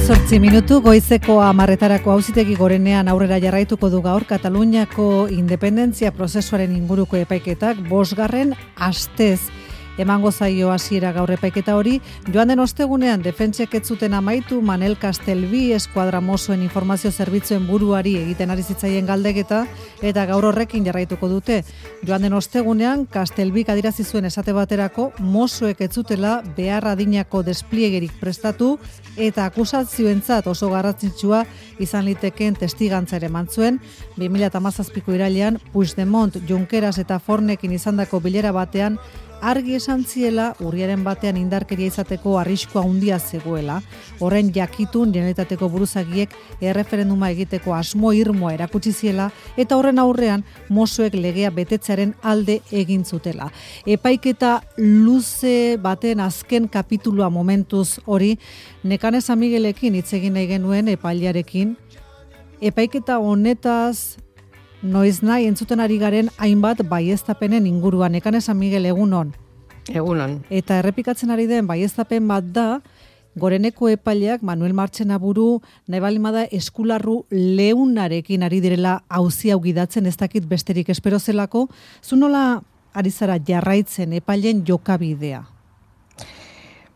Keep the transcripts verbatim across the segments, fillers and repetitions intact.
Zortzi minutu goizeko hamarretarako auzitegi gorenean aurrera jarraituko du gaur Kataluniako independentzia prozesuaren inguruko epaiketak bosgarren astez. Emango zaio hasiera gaur epaiketa hori, joan den ostegunean defentsek ez zuten amaitu Manel Castelví eskuadra mosoen informazio zerbitzuen buruari egiten ari zitzaien galdeketa, eta gaur horrekin jarraituko dute. Joan den ostegunean, Castelvík adierazi zuen esate baterako mosoek ez zutela behar adinako despliegerik prestatu, eta akusazioentzat oso garrantzitsua izan litekeen testigantza ere eman zuen. bi mila hamazazpiko irailean, Puigdemont, Junqueras eta Fornekin izandako bilera batean, argi esan ziela urriaren batean indarkeria izateko arriskua handia zegoela. Horren jakitun Generalitateko buruzagiek erreferenduma egiteko asmo irmoa erakutsi ziela eta horren aurrean mosoek legea betetzearen alde egin zutela. Epaiketa luze baten azken kapitulua momentuz hori, Nekane San Miguelekin hitz egin nahi genuen epailearekin. Epaiketa honetaz noiz nahi entzuten ari garen hainbat baieztapenen inguruan. Nekane San Miguel, egunon. Egunon. Eta errepikatzen ari den baieztapen bat da, Goreneko epaileak Manuel Martxenaburu nahi balimada eskularru leunarekin ari direla auzi hau gidatzen, ez dakit besterik espero zelako. Zu nola ari zara jarraitzen epailen jokabidea?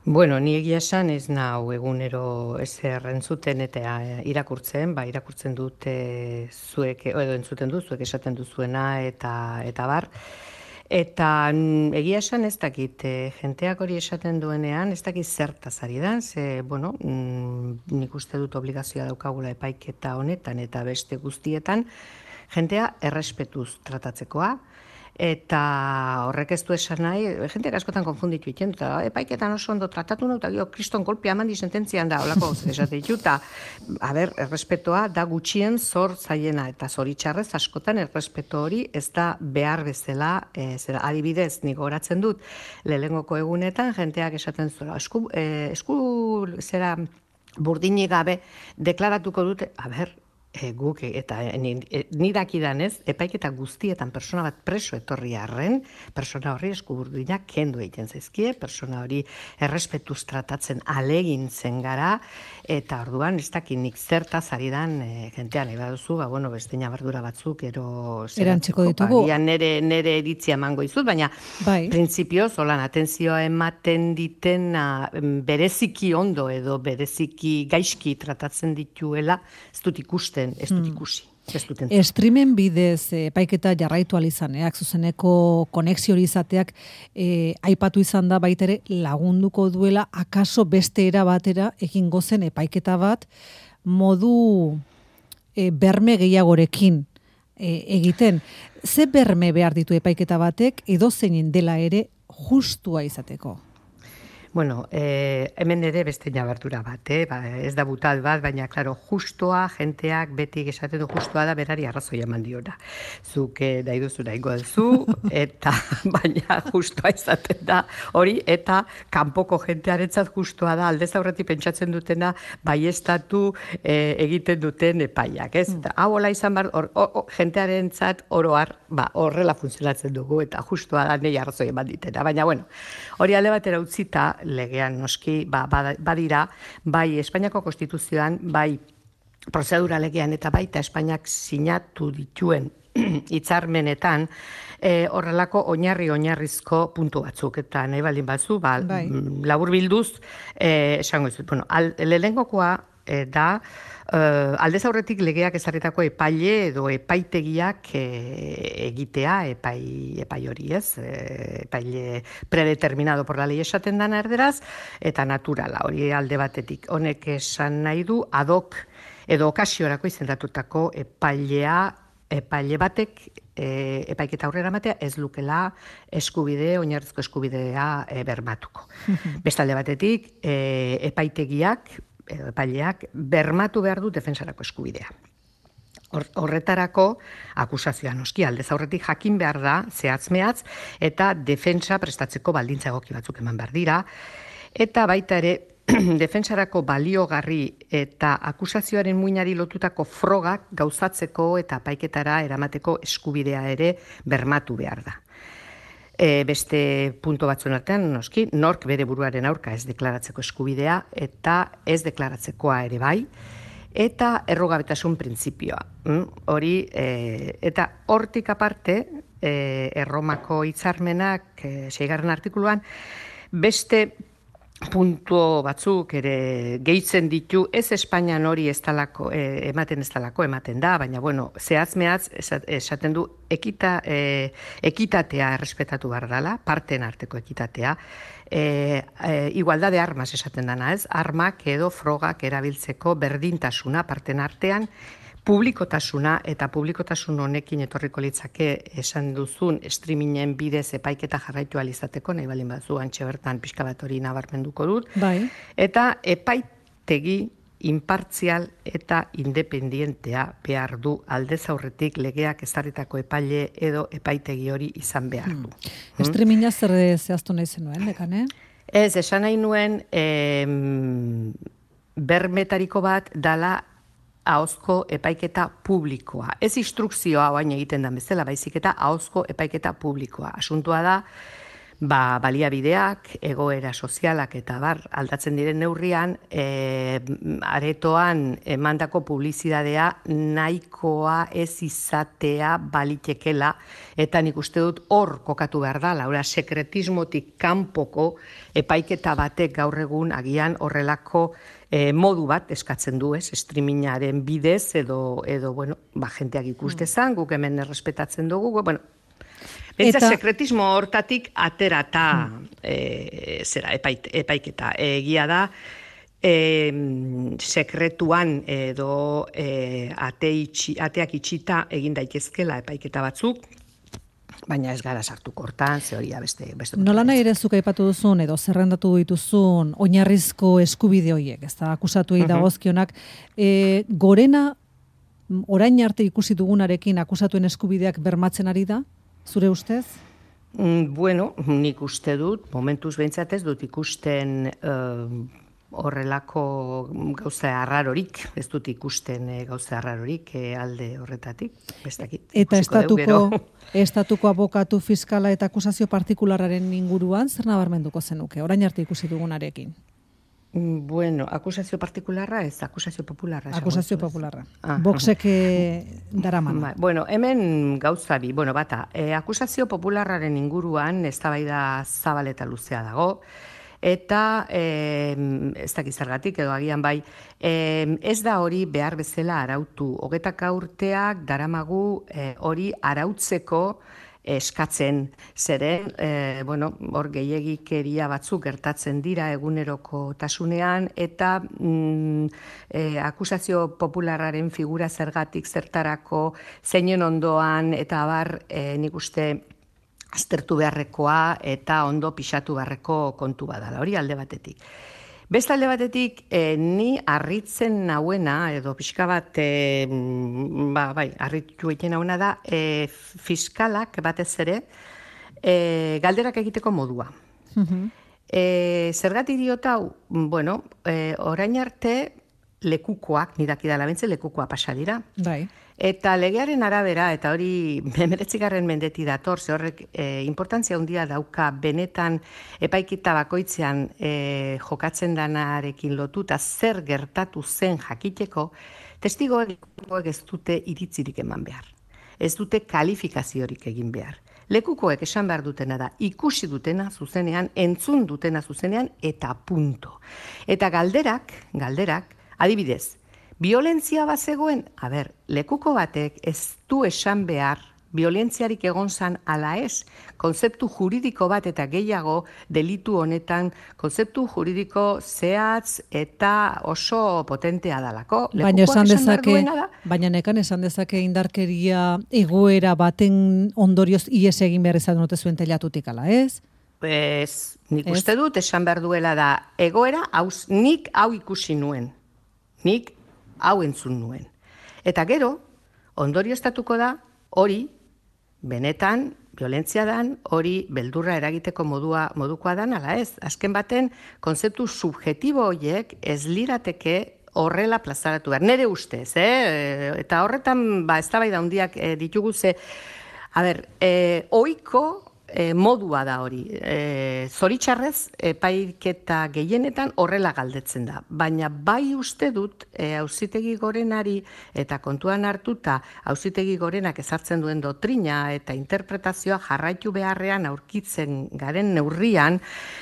Bueno, ni egia esan ez nau egunero ezer entzuten eta irakurtzen, ba, irakurtzen dut e, zuek, edo entzuten du, zuek esaten duzuena eta, eta bar. Eta egia esan ez dakit, e, jenteak hori esaten duenean, ez dakit zertaz ari da, ze, bueno, nik uste dut obligazioa daukagula epaiketa honetan eta beste guztietan, jentea errespetuz tratatzekoa, eta horrek ez du esan nahi, jenteak askotan konfunditu iten, eta epaiketan oso ondo tratatu nahi, eta gio, kriston kolpia mandi sententzian da, holako esate ditu, eta, a ber, errespetoa da gutxien zor zaiena, eta zoritxarrez askotan errespeto hori ez da behar bezala, e, zera, adibidez, nik goratzen dut, lehenengoko egunetan, jenteak esaten zuen, esku, e, esku, zera, burdinik gabe, deklaratuko dute, a ber, E, guk eta ni dakidanez, epaiketa guztietan persona bat preso etorri arren, persona horri eskuburdinak kendu egiten zaizkie, persona hori errespetuz tratatzen alegintzen gara, eta orduan ez dakinik zertaz ari dan e, jentean, nahi baduzu, ba, bueno, beste nabardura batzuk, ero erantziko ditugu. Ba, nere, nere eritzia emango izut, baina bai. Printzipioz, holan, atentzioa ematen ditena bereziki ondo edo bereziki gaizki tratatzen dituela, ez dut ikusten ez dut ikusi. Hmm. Streamen bidez epaiketa jarraitu alizaneak, zuzeneko konexio hori izateak e, aipatu izan da baitere lagunduko duela akaso beste era batera egingo zen epaiketa bat modu e, berme gehiagorekin e, egiten. Ze berme behar ditu epaiketa batek edo zeinen dela ere justua izateko? Bueno, eh, hemen ere beste nabardura bat, eh? Ba, ez da butal bat, baina, klaro, justoa, jenteak beti esaten du justoa da berari arrazoia eman diona. Zuk eh, nahi duzu nahiko duzu, eta baina justoa izaten da hori, eta kanpoko jentearentzat justoa da, aldez aurretik pentsatzen dutena, baiestatu eh, egiten duten epaiak, ez? Mm. Hau hola izan bar, or, or, or, jentearentzat oroar, ba, horrela funtzionatzen dugu, eta justoa da nahi arrazoia eman ditena. Baina, bueno, hori alde batera utzita, legean noski ba, badira, bai Espainiako Konstituzioan, bai prozedura legean eta baita Espainiak sinatu dituen hitzarmenetan e, horrelako oinarri-oinarrizko puntu batzuk, eta nahi baldin batzu, ba, bai. labur bilduz, e, esango izut, bueno, lehenengokoa e, da, Uh, aldez aurretik legeak ezarritako epaile edo epaitegiak e, egitea epai, epai hori ez, e, epaile predeterminado por la ley esaten dana erderaz, eta naturala hori alde batetik. Honek esan nahi du ad hoc edo okasiorako izendatutako epailea, epaile batek e, epaiketa aurrera matea ez lukela eskubide, oinarrizko eskubidea e, bermatuko. Beste alde batetik, e, epaitegiak epaileak bermatu behar du defensarako eskubidea. Horretarako akusazioa noski aldez aurretik jakin behar da zehatz-mehatz eta defentsa prestatzeko baldintza egoki batzuk eman behar dira, eta baita ere defensarako baliogarri eta akusazioaren muinari lotutako frogak gauzatzeko eta epaiketara eramateko eskubidea ere bermatu behar da. E, beste punto batzuen artean, noski, nork bere buruaren aurka ez deklaratzeko eskubidea eta ez deklaratzekoa ere bai, eta errugabetasun printzipioa. Mm? Hori, e, eta hortik aparte, e, Erromako hitzarmenak, e, seigarren artikuluan, beste puntu batzuk ere gehitzen ditu, ez Espainian hori ez talako, eh, ematen ez talako, ematen da, baina, bueno, zehaz mehaz esaten du ekita, eh, ekitatea errespetatu behar dela, parten arteko ekitatea, eh, eh, igualdad de armas esaten dana, ez? Armak edo frogak erabiltzeko berdintasuna parten artean, publikotasuna eta publikotasun honekin etorriko litzake esan duzun streamingen bidez epaiketa jarraitu alizateko, nahi balin bazu antxe bertan pixka bat hori nabarmenduko dut. Bai. Eta epaitegi inpartzial eta independientea behar du aldez aurretik legeak ezarritako epaile edo epaitegi hori izan behar du. Hmm. Streaminga zer zehaztu nahi zenuen, dekane? Ez, esan nahi nuen em, bermetariko bat dala ahozko epaiketa publikoa. Ez instrukzioa oain egiten da bezala, baizik eta ahozko epaiketa publikoa. Asuntua da, ba, baliabideak, egoera sozialak eta bar aldatzen diren neurrian, e, aretoan emandako publizidadea nahikoa ez izatea balitekela, eta nik uste dut hor kokatu behar da, laura sekretismotik kanpoko epaiketa batek gaur egun agian horrelako E, modu bat eskatzen du, ez, streamingaren bidez, edo, edo bueno, ba, jenteak ikus dezan, guk hemen errespetatzen dugu, bueno, bentsa eta sekretismo hortatik aterata e, zera, epait, epaiketa. Egia da, e, sekretuan edo e, ate itxi, ateak itxita egin daitezkela epaiketa batzuk, baina ez gara sartuko hortan, ze hori beste... beste Nola nahi ere zuk aipatu duzun, edo zerrendatu dituzun, oinarrizko eskubide horiek, ez da, akusatuei dagozkionak, e, gorena, orain arte ikusi dugunarekin akusatuen eskubideak bermatzen ari da, zure ustez? Mm, bueno, nik uste dut, momentuz behintzat ez dut ikusten... Uh, horrelako gauza arrarorik, ez dut ikusten e, gauza arrarorik e, alde horretatik, bestakit. Eta estatuko, estatuko abokatu fiskala eta akusazio partikularraren inguruan, zer nabarmenduko zenuke, orain arte ikusi dugunarekin? Bueno, akusazio partikularra ez, akusazio popularra. Akusazio popularra. Ah, Boxek daramana. Bueno, hemen gauza bi, bueno, bata, e, akusazio popularraren inguruan eztabaida zabal eta luzea dago, eta e, ez dakiz zergatik edo agian bai, e, ez da hori behar bezala arautu. Hogetaka urteak daramagu e, hori arautzeko eskatzen, zeren, e, bueno, hor gehiegikeria batzuk gertatzen dira eguneroko tasunean, eta mm, e, akusazio popularraren figura zergatik zertarako, zeinen ondoan, eta abar, e, nik uste, aztertu beharrekoa eta ondo pixatu beharreko kontu badala, hori alde batetik. Beste alde batetik, eh, ni harritzen nauena, edo pixka bat, eh, ba, bai, harritu egiten nauena da, eh, fiskalak batez ere, eh, galderak egiteko modua. Uh-huh. eh, zergatik diot hau, bueno, eh, orain arte lekukoak, nidakidala bentze, lekukoa pasa dira. Bai. Eta legearen arabera, eta hori hemeretzigarren mendeti dator, ze horrek e, importantzia handia dauka benetan epaiketa bakoitzean e, jokatzen danarekin lotuta zer gertatu zen jakiteko, testigoek ez dute iritzirik eman behar. Ez dute kalifikaziorik egin behar. Lekukoek esan behar dutena da, ikusi dutena zuzenean, entzun dutena zuzenean, eta punto. Eta galderak, galderak, adibidez, violentzia bat zegoen, a ber, lekuko batek ez du esan behar violentziarik egon zan ala ez, konzeptu juridiko bat eta gehiago delitu honetan, konzeptu juridiko zehatz eta oso potentea dalako. Baina esan dezake, baina nekan esan dezake indarkeria egoera baten ondorioz ies egin behar izan dute zuen telatutik ala ez? Ez, nik uste dut esan behar duela da, egoera, hauz, nik hau ikusi nuen, nik hau entzun nuen. Eta gero, ondorio estatuko da, hori, benetan, violentzia dan, hori beldurra eragiteko modua, modukoa dan, ala ez. Azken baten, konzeptu subjetibo horiek ez lirateke horrela plazaratu behar. Nere ustez, eh? Eta horretan, ba, eztabaida handiak eh, ditugu ze, a ber, eh, ohiko e, modua da hori. E, zoritxarrez, epaiketa gehienetan horrela galdetzen da. Baina bai uste dut, e, Auzitegi Gorenari eta kontuan hartuta Auzitegi Gorenak ezartzen duen dotrina eta interpretazioa jarraitu beharrean aurkitzen garen neurrian,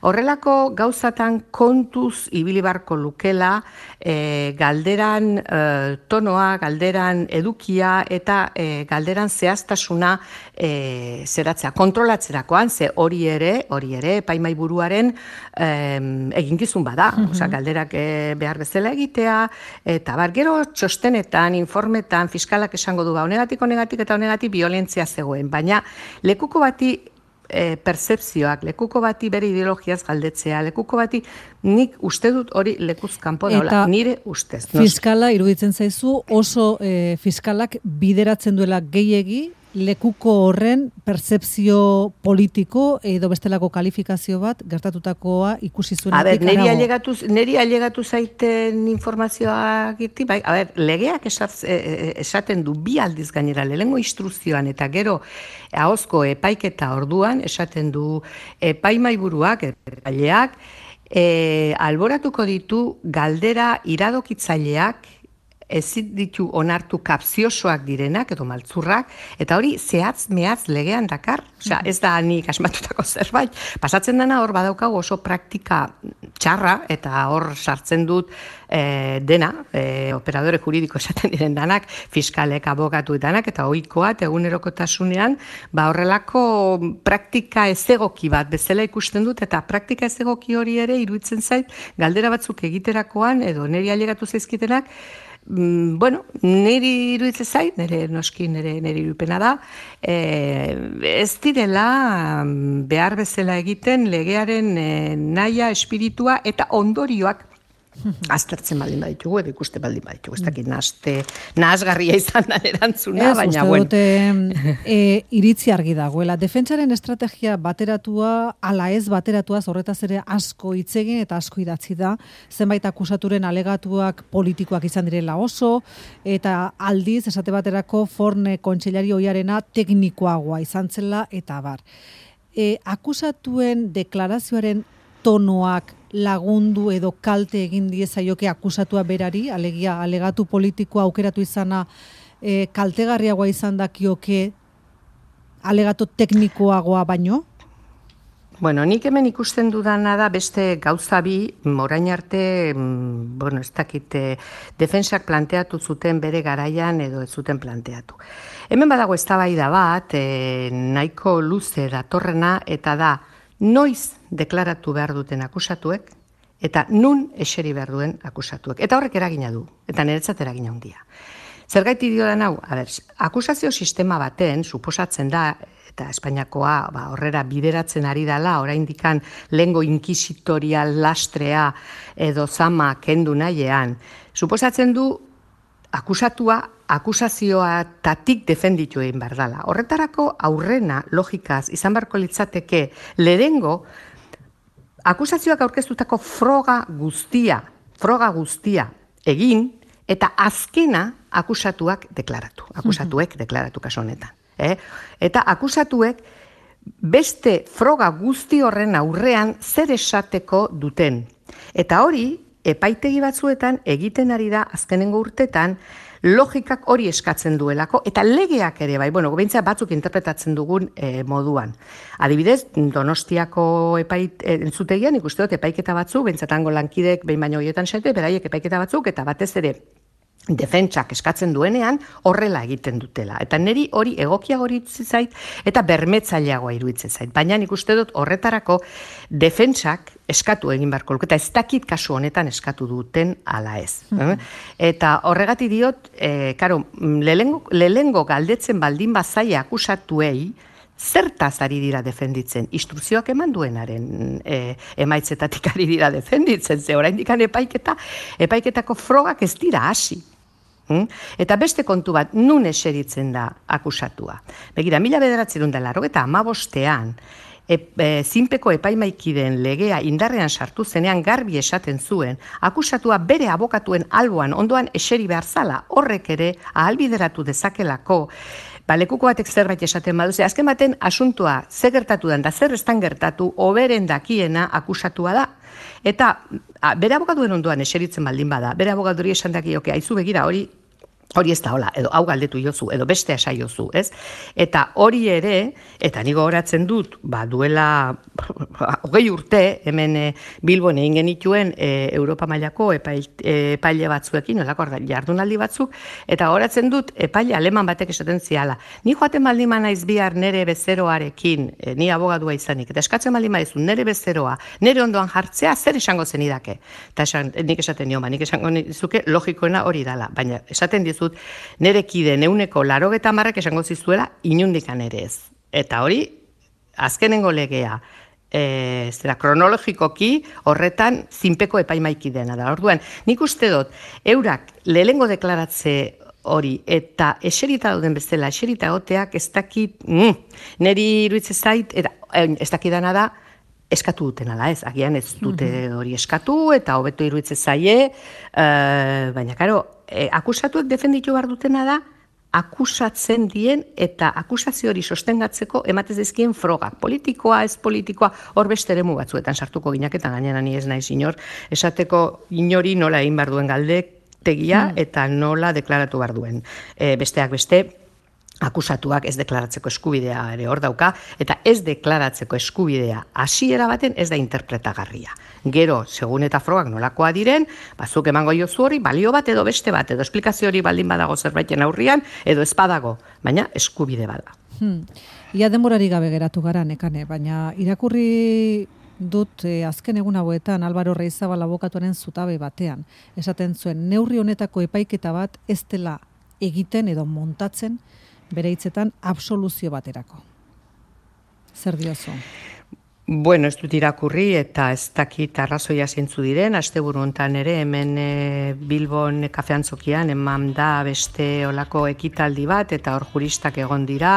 horrelako gauzatan kontuz ibili barko lukela, e, galderan e, tonoa, galderan edukia eta e, galderan zehaztasuna e, zeratzea, kontrolatzea. Zerakoan, ze hori ere, hori ere, epaimaiburuaren eh, eginkizun bada, mm-hmm. Osa, galderak eh, behar bezala egitea, eta bar, gero txostenetan, informetan, fiskalak esango du, ba, honegatik, honegatik eta honegatik violentzia zegoen, baina lekuko bati e, percepzioak, lekuko bati bere ideologiaz galdetzea, lekuko bati nik uste dut hori lekuz kanpo daula, nire ustez. Fiskala iruditzen zaizu, oso e, fiskalak bideratzen duela gehiegi, lekuko horren pertzepzio politiko edo bestelako kalifikazio bat gertatutakoa ikusi zuenetik arago. A ber, neri ailegatu, neri ailegatu zaiten informazioa giti, bai, a ber, legeak esat, esaten du bi aldiz gainera, lehengo instruzioan eta gero ahozko epaiketa orduan esaten du epaimaiburuak, epaileak, e, alboratuko ditu galdera iradokitzaileak ezin ditu onartu kapziosoak direnak edo maltzurrak, eta hori zehatz mehatz legean dakar, osea, ez da nik asmatutako zerbait, pasatzen dena hor badaukagu oso praktika txarra, eta hor sartzen dut e, dena, e, operadore juridiko esaten diren danak, fiskalek, abogatu danak, eta ohikoat egunerokotasunean, ba horrelako praktika ezegoki bat bezala ikusten dut, eta praktika ezegoki hori ere iruditzen zait, galdera batzuk egiterakoan, edo niri ailegatu zaizkitenak, bueno, niri iruditzen zait, nire noski nire nire irupena da, e, ez direla behar bezala egiten legearen e, naia, espiritua eta ondorioak aztertzen baldin baditugu, edo ikuste baldin baditugu. Ez dakit nahazte, nahazgarria izan da erantzuna, baina bueno. Ez, uste dute e, iritzi argi dagoela. Defentsaren estrategia bateratua, ala ez bateratua, horretaz ere asko hitzegin eta asko idatzi da. Zenbait akusaturen alegatuak politikoak izan direla oso, eta aldiz, esate baterako, Forne kontseilari ohiarena teknikoagoa izan zela, eta bar. E, akusatuen deklarazioaren tonoak lagundu edo kalte egin diezaioke akusatua berari, alegia alegatu politikoa aukeratu izana e, kaltegarriagoa izan dakioke alegatu teknikoagoa baino? Bueno, nik hemen ikusten dudana da beste gauza bi, orain arte, bueno, ez dakit, defentsak planteatu zuten bere garaian edo ez zuten planteatu. Hemen badago eztabaida bat, e, nahiko luze datorrena, eta da, noiz deklaratu behar duten akusatuek, eta nun eseri behar duen akusatuek. Eta horrek eragina du, eta niretzat eragina handia. Zergaiti dio da nau, a ber, akusazio sistema baten, suposatzen da, eta Espainiakoa ba, horrera bideratzen ari dela, oraindikan lehengo inkisitorial lastrea edo zama kendu nahian, suposatzen du akusatua akusazioatatik defenditu egin behar dela. Horretarako aurrena logikaz izan beharko litzateke lehengo akusazioak aurkeztutako froga guztia, froga guztia egin eta azkena akusatuak deklaratu. Akusatuek deklaratu kaso honetan. Eh? Eta akusatuek beste froga guzti horren aurrean zer esateko duten. Eta hori epaitegi batzuetan egiten ari da azkenengo urtetan logikak hori eskatzen duelako, eta legeak ere, bai, bueno, behintzat batzuk interpretatzen dugun e, moduan. Adibidez, Donostiako epait, e, entzutegian ikuste dut epaiketa batzuk, behintzat lankidek behin baino horietan sete, beraiek epaiketa batzuk, eta batez ere defentsak eskatzen duenean horrela egiten dutela. Eta niri hori egokiago iruditzen zait eta bermetzaileagoa iruditzen zait. Baina nik uste dut horretarako defentsak eskatu egin beharko luke, eta ez dakit kasu honetan eskatu duten ala ez. Mm-hmm. Eta horregati diot, e, karo, lehengo, lehengo galdetzen baldin bazaia akusatuei, zertaz ari dira defenditzen, instrukzioak eman duenaren e, emaitzetatik ari dira defenditzen, ze oraindikan epaiketa, epaiketako frogak ez dira hasi. Hmm? Eta beste kontu bat, nun eseritzen da akusatua. Begira, mila bederatziehun eta laurogeita hamabostean, E, e, zinpeko epaimaikiden legea indarrean sartu zenean garbi esaten zuen, akusatua bere abokatuen alboan ondoan eseri behar zala, horrek ere ahalbideratu dezakelako ba, lekuko batek zerbait esaten badu, ze azken baten asuntua ze gertatu den da zer estan gertatu oberen dakiena akusatua da. Eta a, bere abogaduen ondoan eseritzen baldin bada, bere abogaduri esan dakioke, aizu begira hori hori ez da hola, edo hau galdetu jozu, edo beste asai jozu, ez? Eta hori ere, eta nigo horatzen dut, ba, duela hogei urte, hemen e, Bilbon egin genituen e, Europa mailako epaile, epaile batzuekin, olako jardunaldi batzuk, eta horatzen dut epaile aleman batek esaten ziala. Ni joaten baldin naiz bihar nere bezeroarekin, e, ni abogadua izanik, eta eskatzen baldin maizu nere bezeroa, nere ondoan jartzea, zer esango zenidake? Eta esan, nik esaten nio, ba, nik esango nizuke logikoena hori dala, baina esaten dizu nere kideen euneko larogeta hamarrak esango zizuela inundikan ere ez. Eta hori, azkenengo legea, e, zera, kronologikoki horretan zinpeko epaimaikidena da. Orduan, nik uste dut, eurak lehengo deklaratze hori, eta eserita dauden bezala, eserita goteak ez dakit, mm, neri iruitze zait, eta ez dakidana da, eskatu duten ala ez, agian ez dute hori eskatu, eta hobeto iruitze zaie, uh, baina, karo, e, akusatuek defenditu behar dutena da, akusatzen dien eta akusazio hori sostengatzeko ematez dizkien frogak. Politikoa, ez politikoa, hor beste eremu batzuetan sartuko gineketan, gainera ni ez naiz inor, esateko inori nola egin behar duen galdetegia eta nola deklaratu behar duen. E, besteak beste, akusatuak ez deklaratzeko eskubidea ere hor dauka, eta ez deklaratzeko eskubidea hasiera baten ez da interpretagarria. Gero, segun eta frogak nolakoa diren, bazuk emango jozu hori, balio bat edo beste bat, edo esplikazio hori baldin badago zerbaiten aurrian, edo ez badago, baina eskubide bada. Hmm. Ia denborari gabe geratu gara, Nekane, baina irakurri dut eh, azken egun hauetan Álvaro Reizabal abokatuaren zutabe batean. Esaten zuen, neurri honetako epaiketa bat ez dela egiten edo montatzen, bere hitzetan absoluzio baterako. Zer diozu? Bueno, ez dut irakurri eta ez dakit arrazoia zeintzu diren, asteburu hontan ere hemen e, Bilbon kafeantzokian eman da beste olako ekitaldi bat eta hor juristak egon dira.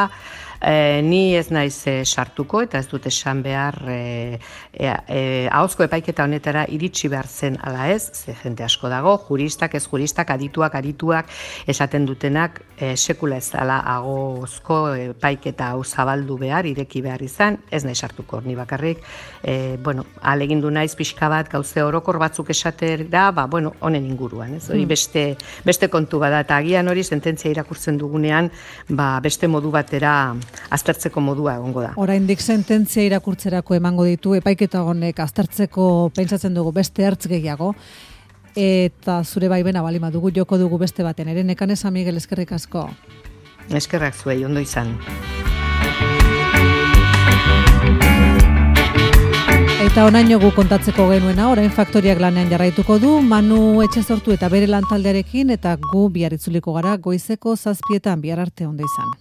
E, ni ez naiz e, sartuko eta ez dut esan behar e, e, e, ahozko epaiketa honetara iritsi behar zen ala ez, ze jente asko dago, juristak, ez juristak, adituak, adituak, esaten dutenak e, sekula ez dela ahozko epaiketa hau zabaldu behar, ireki behar izan, ez naiz sartuko, ni bakarrik, e, bueno, alegindu naiz pixka bat, gauze orokor batzuk esater da, ba, bueno, honen inguruan, ez, hori beste, beste kontu bada, eta agian hori sententzia irakurtzen dugunean, ba, beste modu batera aztertzeko modua egongo da. Oraindik sententzia irakurtzerako emango ditu, epaiketa honek aztertzeko pentsatzen dugu beste ertz gehiago, eta zure baimena balima dugu joko dugu beste baten. Ere Nekane San Miguel, eskerrik asko. Eskerrak zuei, ondo izan. Eta onaino gu kontatzeko genuena, orain Faktoriak lanean jarraituko du, Manu Etxezortu eta bere lantaldearekin, eta gu bihar itzuliko gara goizeko zazpietan, bihar arte ondo izan.